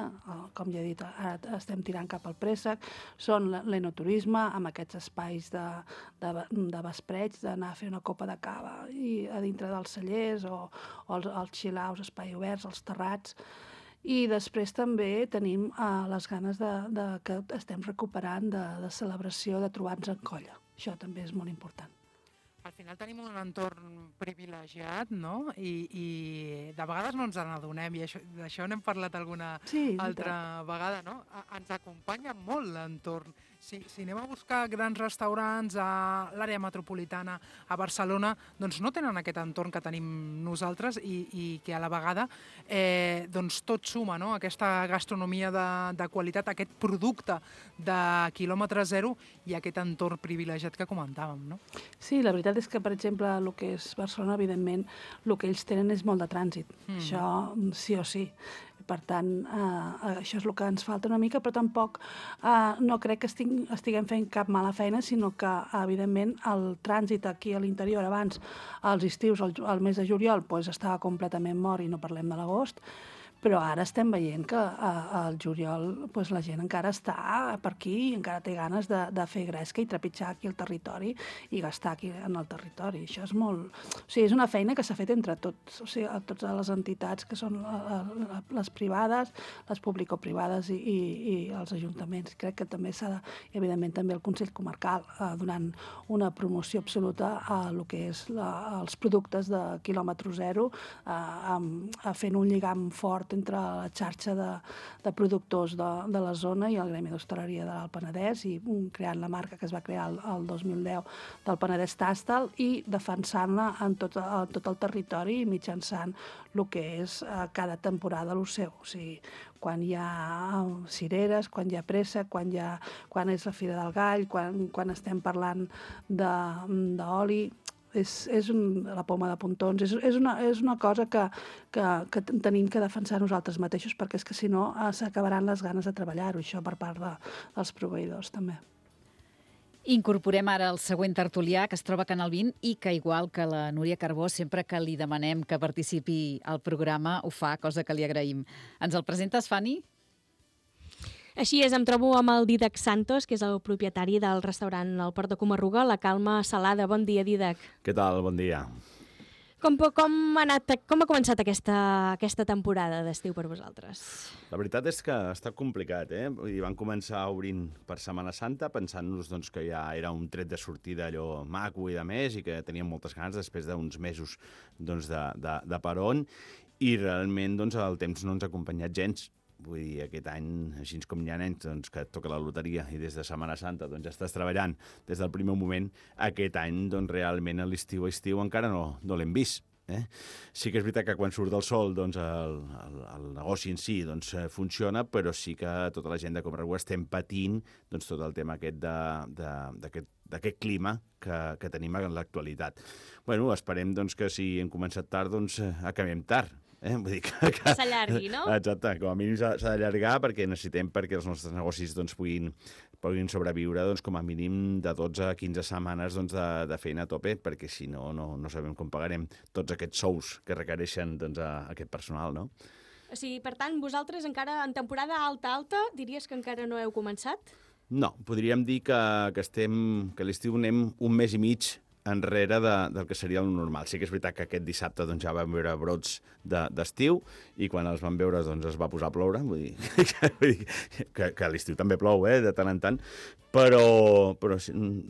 com ja he dit, ara estem tirant cap al préssec, són l'enoturisme, amb aquests espais de vespreig, d'anar a fer una copa de cava i a dintre dels cellers o els chill-outs, espais oberts, els terrats. I després també tenim les ganes que estem recuperant de celebració, de trobar-nos en colla. Això també és molt important. Al final tenim un entorn privilegiat, no? I de vegades no ens n'adonem, i d'això n'hem parlat alguna altra vegada, no? Ens acompanya molt l'entorn. Si anem a buscar grans restaurants a l'àrea metropolitana, a Barcelona, doncs no tenen aquest entorn que tenim nosaltres i que a la vegada doncs tot suma, no? Aquesta gastronomia de qualitat, aquest producte de quilòmetre zero i aquest entorn privilegiat que comentàvem, no? Sí, la veritat és que, per exemple, el que és Barcelona, evidentment, el que ells tenen és molt de trànsit. Això sí o sí. Per tant, això és el que ens falta una mica, però tampoc no crec que estiguem fent cap mala feina, sinó que, evidentment, el trànsit aquí a l'interior abans, als estius, al mes de juliol, estava completament mort i no parlem de l'agost, però ara estem veient que al juliol la gent encara està per aquí i encara té ganes de fer gresca i trepitjar aquí el territori i gastar aquí en el territori. Això és molt... O sigui, és una feina que s'ha fet entre tots, o sigui, totes les entitats que són les privades, les público-privades i els ajuntaments. Crec que també s'ha de... I, evidentment, també el Consell Comarcal, donant una promoció absoluta a el que és els productes de quilòmetre zero, fent un lligam fort entre la xarxa de productors de la zona i el Gremi d'Hostaleria de l'Alt Penedès i creant la marca que es va crear el 2010 del Penedès Tàstal i defensant-la en tot el territori mitjançant el que és cada temporada el seu. O sigui, quan hi ha cireres, quan hi ha préssec, quan és la Fira del Gall, quan estem parlant d'oli... És la poma de pontons, és una cosa que tenim que defensar nosaltres mateixos perquè és que si no s'acabaran les ganes de treballar-ho, això per part dels proveïdors també. Incorporem ara el següent tertulià que es troba a Canal 20 i que, igual que la Núria Carbó, sempre que li demanem que participi al programa ho fa, cosa que li agraïm. Ens el presentes, Fanny? Així és, em trobo amb el Dídac Santos, que és el propietari del restaurant El Port de Comarruga, La Calma Salada. Bon dia, Dídac. Què tal? Bon dia. Com ha començat aquesta temporada d'estiu per vosaltres? La veritat és que ha estat complicat, Van començar obrint per Setmana Santa, pensant-nos que ja era un tret de sortida allò maco i de més, i que teníem moltes ganes després d'uns mesos de peron. i realment doncs, el temps no ens ha acompanyat gens. Vull dir, aquest any, així com hi ha nens doncs, que et toca la loteria i des de Setmana Santa doncs, ja estàs treballant des del primer moment, aquest any doncs, realment a l'estiu encara no l'hem vist. Sí que és veritat que quan surt el sol doncs, el negoci en si doncs, funciona, però sí que tota la gent de Comarruga estem patint doncs, tot el tema aquest d'aquest clima que tenim en l'actualitat. Bueno, esperem doncs, que si hem començat tard, doncs acabem tard. Vull dir que s'allargui, no? Exacte, com a mínim s'ha d'allargar perquè necessitem perquè els nostres negocis doncs, puguin sobreviure doncs, com a mínim de 12 a 15 setmanes doncs, de feina a tope, perquè si no sabem com pagarem tots aquests sous que requereixen doncs, aquest personal, no? O sigui, per tant, vosaltres encara en temporada alta, diries que encara no heu començat? No, podríem dir que l'estiu anem un mes i mig enrere del que seria el normal. Sí que és veritat que aquest dissabte doncs, ja vam veure brots d'estiu i quan els vam veure doncs, es va posar a ploure. Vull dir que a l'estiu també plou, de tant en tant, però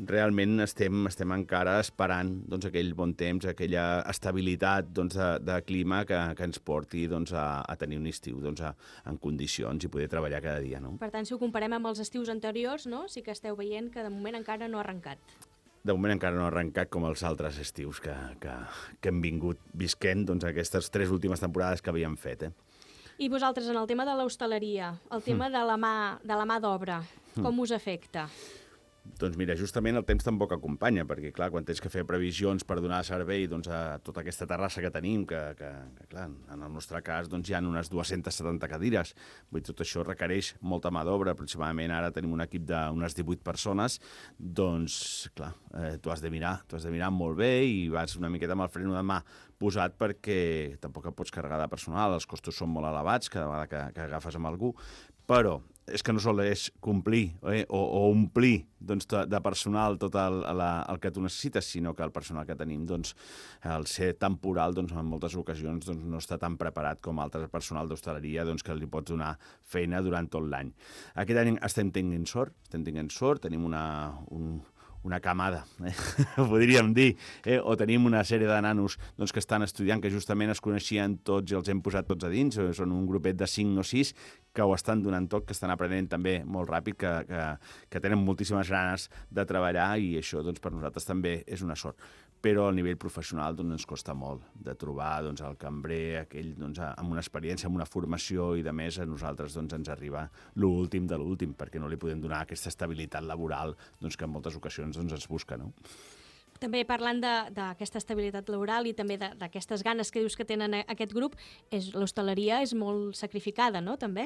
realment estem encara esperant doncs, aquell bon temps, aquella estabilitat doncs, de clima que ens porti doncs, a tenir un estiu doncs, en condicions i poder treballar cada dia. No? Per tant, si ho comparem amb els estius anteriors, no? Sí que esteu veient que de moment encara no ha arrencat. De moment encara no ha arrencat com els altres estius que hem vingut visquent doncs, aquestes 3 últimes temporades que havíem fet. I vosaltres, en el tema de l'hostaleria, el tema de la mà d'obra, com us afecta? Doncs mira, justament el temps tampoc acompanya, perquè clar, quan tens que fer previsions per donar servei doncs, a tota aquesta terrassa que tenim, que clar, en el nostre cas doncs, hi ha unes 270 cadires, vull dir, tot això requereix molta mà d'obra, aproximadament ara tenim un equip d'unes 18 persones, doncs clar, tu has de mirar molt bé i vas una miqueta amb el freno de mà posat perquè tampoc et pots carregar de personal, els costos són molt elevats cada vegada que agafes amb algú, però és que no sol és complir o omplir doncs, de personal tot el que tu necessites, sinó que el personal que tenim, doncs, al ser temporal, doncs, en moltes ocasions doncs, no està tan preparat com altre personal d'hostaleria doncs, que li pots donar feina durant tot l'any. Aquest any estem tenint sort, tenim una camada, podríem dir, o tenim una sèrie de nanos doncs, que estan estudiant, que justament es coneixien tots i els hem posat tots a dins, són un grupet de 5 o 6 que ho estan donant tot, que estan aprenent també molt ràpid, que tenen moltíssimes ganes de treballar i això doncs, per nosaltres també és una sort. Però a nivell professional doncs, ens costa molt de trobar doncs, el cambrer, aquell doncs, amb una experiència, amb una formació i de més a nosaltres doncs, ens arriba l'últim de l'últim, perquè no li podem donar aquesta estabilitat laboral doncs, que en moltes ocasions doncs, es busca, no? També parlant d'aquesta estabilitat laboral i també d'aquestes ganes que dius que tenen aquest grup, l'hostaleria és molt sacrificada, no?, també?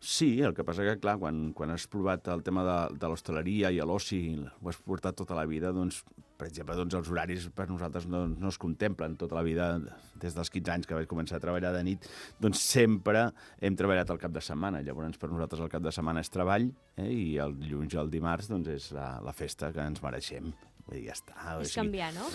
Sí, el que passa que, clar, quan has provat el tema de l'hostaleria i l'oci, ho has portat tota la vida, doncs, per exemple, doncs, els horaris per nosaltres no es contemplen tota la vida, des dels 15 anys que vaig començar a treballar de nit, doncs sempre hem treballat al cap de setmana. Llavors, per nosaltres el cap de setmana és treball i el dilluns i el dimarts doncs, és la festa que ens mereixem. Vull dir, ja està. És canviar, no?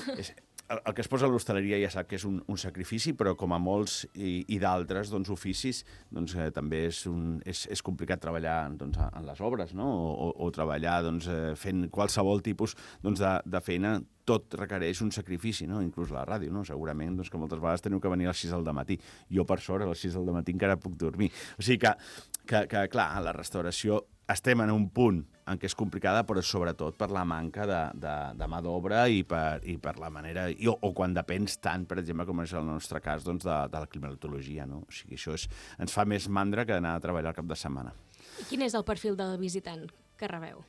El que es posa a l'hostaleria ja sap que és un sacrifici, però com a molts i d'altres doncs, oficis, doncs, també és complicat treballar doncs, en les obres, no? o treballar doncs, fent qualsevol tipus doncs, de feina. Tot requereix un sacrifici, no? Inclús la ràdio, no? Segurament doncs, que moltes vegades teniu que venir a les 6 del matí. Jo, per sort, a les 6 del matí encara puc dormir. O sigui que clar, la restauració estem en un punt en què és complicada, però sobretot per la manca de mà d'obra i per la manera... O quan depens tant, per exemple, com és el nostre cas, doncs, de la climatologia, no? O sigui, això ens fa més mandra que anar a treballar al cap de setmana. I quin és el perfil del visitant que rebeu?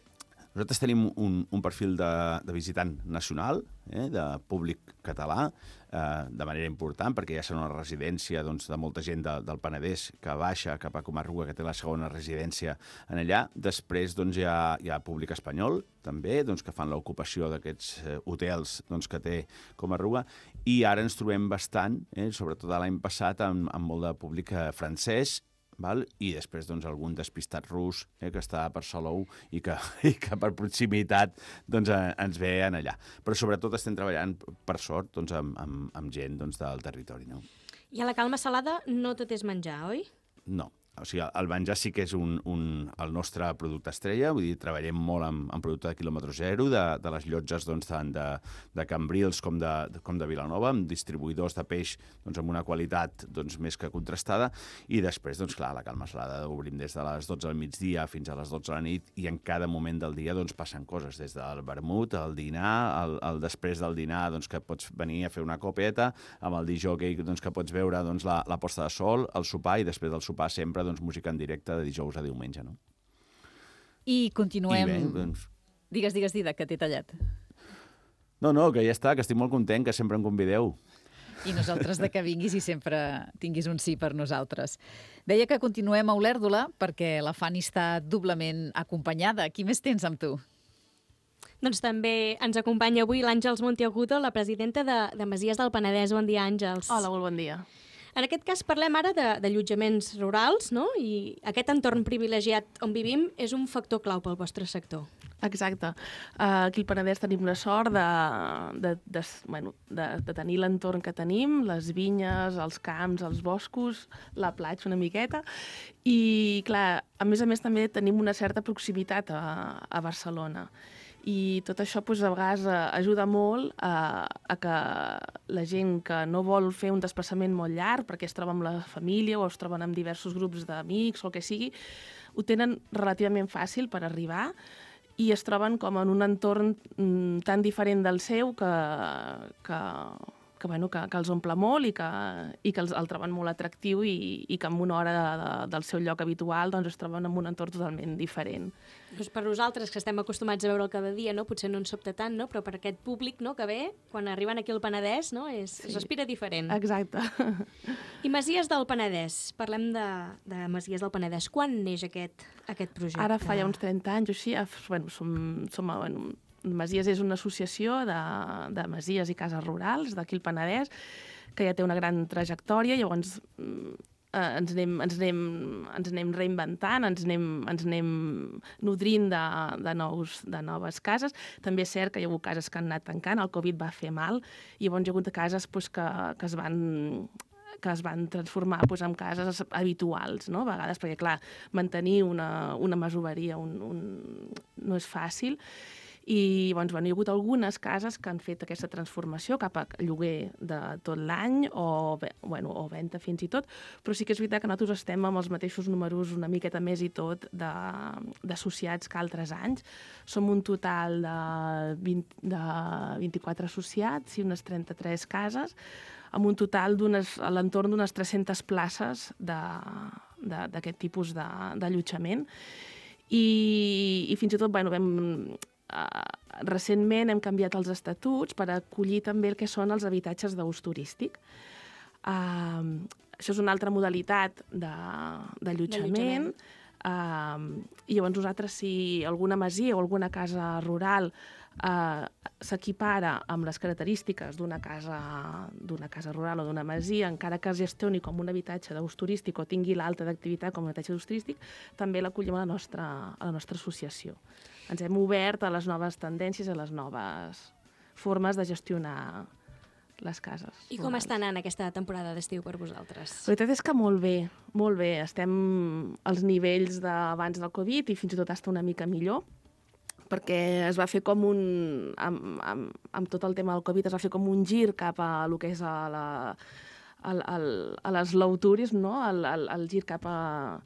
Nosaltres tenim un perfil de visitant nacional, de públic català, de manera important, perquè ja serà una residència doncs, de molta gent del Penedès que baixa cap a Comarruga, que té la segona residència en allà. Després doncs, hi ha públic espanyol, també, doncs, que fan l'ocupació d'aquests hotels doncs, que té Comarruga, i ara ens trobem bastant, sobretot l'any passat, amb molt de públic francès, val? I després doncs, algun despistat rus que està per Salou i que per proximitat doncs, ens ve allà. Però sobretot estem treballant, per sort, doncs, amb gent doncs, del territori. No? I a la Calma Salada no tot és menjar, oi? No. O sigui, el menjar sí que és el nostre producte estrella, vull dir, treballem molt amb producte de quilòmetre zero, de les llotges doncs, tant de Cambrils com de Vilanova, amb distribuïdors de peix doncs, amb una qualitat doncs, més que contrastada, i després, doncs, clar, la Calma Salada obrim des de les 12 del migdia fins a les 12 de la nit, i en cada moment del dia doncs, passen coses, des del vermut, el dinar, el després del dinar doncs, que pots venir a fer una copeta, amb el disjockey doncs, que pots veure doncs, la posta de sol, el sopar, i després del sopar sempre doncs, música en directe de dijous a diumenge, no? I continuem... I bé, doncs... Digues, Didac, que t'he tallat. No, que ja està, que estic molt content, que sempre em convideu. I nosaltres de que vinguis i sempre tinguis un sí per nosaltres. Deia que continuem a Olèrdola perquè la Fanny està doblement acompanyada. Qui més tens amb tu? Doncs també ens acompanya avui l'Àngels Monteagudo, la presidenta de Masies del Penedès. Bon dia, Àngels. Hola, molt bon dia. En aquest cas parlem ara d'allotjaments rurals, no? I aquest entorn privilegiat on vivim és un factor clau pel vostre sector. Exacte. Aquí al Penedès tenim la sort de tenir l'entorn que tenim, les vinyes, els camps, els boscos, la platja una miqueta, i clar, a més també tenim una certa proximitat a Barcelona. I tot això doncs, a vegades ajuda molt a que la gent que no vol fer un desplaçament molt llarg perquè es troba amb la família o es troben amb diversos grups d'amics o el que sigui, ho tenen relativament fàcil per arribar i es troben com en un entorn tan diferent del seu que els omple molt i que el troben molt atractiu i que en una hora del seu lloc habitual doncs, es troben en un entorn totalment diferent. Doncs per nosaltres, que estem acostumats a veure'l cada dia, no? Potser no ens sobta tant, no? Però per aquest públic que ve, quan arriben aquí al Penedès, no? Es respira diferent. Exacte. I Masies del Penedès. Parlem de Masies del Penedès. Quan neix aquest projecte? Ara fa ja uns 30 anys o així. Masies és una associació de masies i cases rurals d'aquí al Penedès que ja té una gran trajectòria, llavors ens anem reinventant, ens anem nodrint de noves cases. També és cert que hi ha hagut cases que han anat tancant, el Covid va fer mal, i llavors hi ha hagut cases que es van transformar en cases habituals, no? A vegades, perquè clar, mantenir una masoveria no és fàcil. I llavors, hi ha hagut algunes cases que han fet aquesta transformació cap a lloguer de tot l'any o venda fins i tot, però sí que és veritat que nosaltres estem amb els mateixos números una miqueta més i tot d'associats que altres anys. Som un total de 24 associats i unes 33 cases, amb un total a l'entorn d'unes 300 places d'aquest tipus d'allotjament. I fins i tot recentment hem canviat els estatuts per acollir també el que són els habitatges d'ús turístic. Això és una altra modalitat d'allotjament. I llavors nosaltres, si alguna masia o alguna casa rural s'equipara amb les característiques d'una casa rural o d'una masia, encara que es gestioni com un habitatge d'ús turístic o tingui l'alta d'activitat com un habitatge d'ús turístic, també l'acollim a la nostra associació. Ens hem obert a les noves tendències, a les noves formes de gestionar les cases. I com està anant aquesta temporada d'estiu per vosaltres? La veritat és que molt bé, molt bé. Estem als nivells d'abans del Covid i fins i tot està una mica millor, perquè es va fer com amb tot el tema del Covid, es va fer com un gir cap a el que és a l'eslow tourism, no? El gir cap a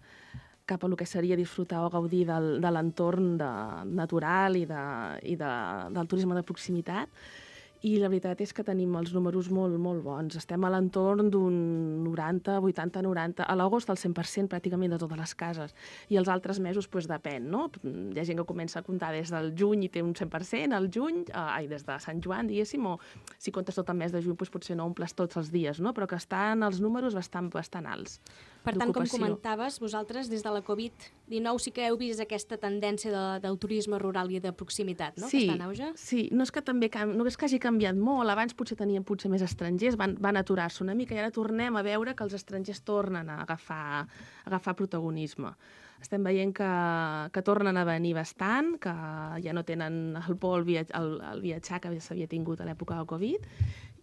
el que seria disfrutar o gaudir de l'entorn natural i del turisme de proximitat. I la veritat és que tenim els números molt, molt bons. Estem a l'entorn d'un 90, 80, 90, a l'agost el 100% pràcticament de totes les cases. I els altres mesos depèn, no? Hi ha gent que comença a comptar des del juny i té un 100%, al juny, des de Sant Joan, diguéssim, o si comptes tot el mes de juny potser no omples tots els dies, no? Però que estan els números bastant alts. Per tant, com comentaves, vosaltres des de la Covid-19 sí que heu vist aquesta tendència del turisme rural i de proximitat, no? Sí, que està en auge? Sí, no és que hagi canviat molt, abans tenien més estrangers, van aturar-se una mica i ara tornem a veure que els estrangers tornen a agafar protagonisme. Estem veient que tornen a venir bastant, que ja no tenen el por al viatjar que s'havia tingut a l'època del Covid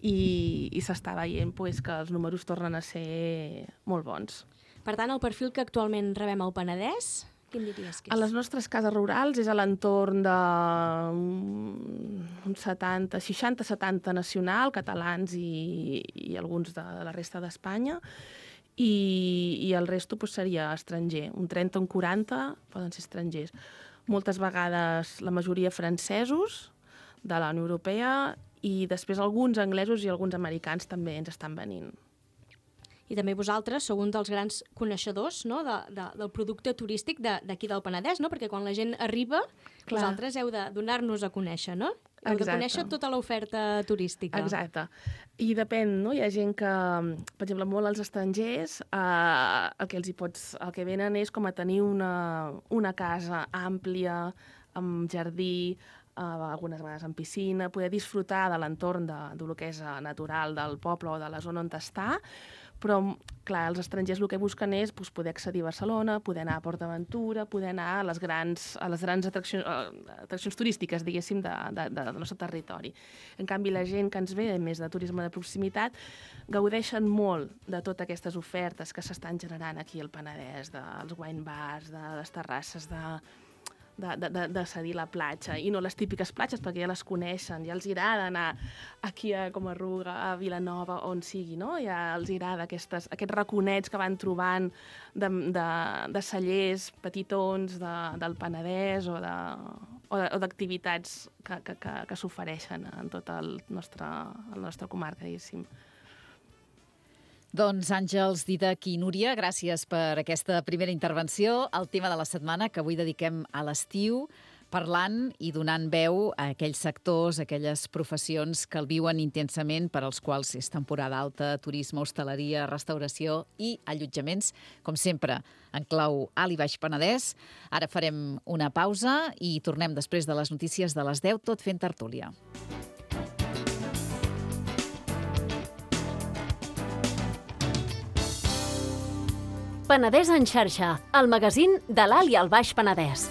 i s'està veient que els números tornen a ser molt bons. Per tant, el perfil que actualment rebem al Penedès, quin diries que és? A les nostres cases rurals és a l'entorn de 60-70 nacional, catalans i alguns de la resta d'Espanya, i el resto seria estranger. Un 30 o un 40 poden ser estrangers. Moltes vegades la majoria francesos de la Unió Europea i després alguns anglesos i alguns americans també ens estan venint. I també vosaltres sou un dels grans coneixedors, no?, del producte turístic d'aquí del Penedès, no? Perquè quan la gent arriba, vosaltres heu de donar-nos a conèixer, no? Heu de conèixer tota l'oferta turística. Exacte. I depèn, no? Hi ha gent que, per exemple, molt als estrangers, el que venen és com a tenir una casa àmplia, amb jardí, algunes vegades amb piscina, poder disfrutar de l'entorn del que és natural del poble o de la zona on està, però, clar, els estrangers el que busquen és poder accedir a Barcelona, poder anar a PortAventura, poder anar a les grans atraccions turístiques, diguéssim, del nostre territori. En canvi, la gent que ens ve més de turisme de proximitat gaudeixen molt de totes aquestes ofertes que s'estan generant aquí al Penedès, dels wine bars, de les terrasses, de cedir la platja, i no les típiques platges, perquè ja les coneixen, ja els agrada anar aquí a Comarruga, a Vilanova, on sigui, no? Ja els agrada aquests raconets que van trobant de cellers petitons del Penedès o d'activitats que s'ofereixen en tota la nostra comarca, diguéssim. Doncs Àngels, Didac i Núria, gràcies per aquesta primera intervenció. El tema de la setmana que avui dediquem a l'estiu, parlant i donant veu a aquells sectors, a aquelles professions que el viuen intensament, per als quals és temporada alta, turisme, hostaleria, restauració i allotjaments, com sempre, en clau Alt i Baix Penedès. Ara farem una pausa i tornem després de les notícies de les 10, tot fent tertúlia. Penedès en xarxa, el magazín de l'Alt i el Baix Penedès.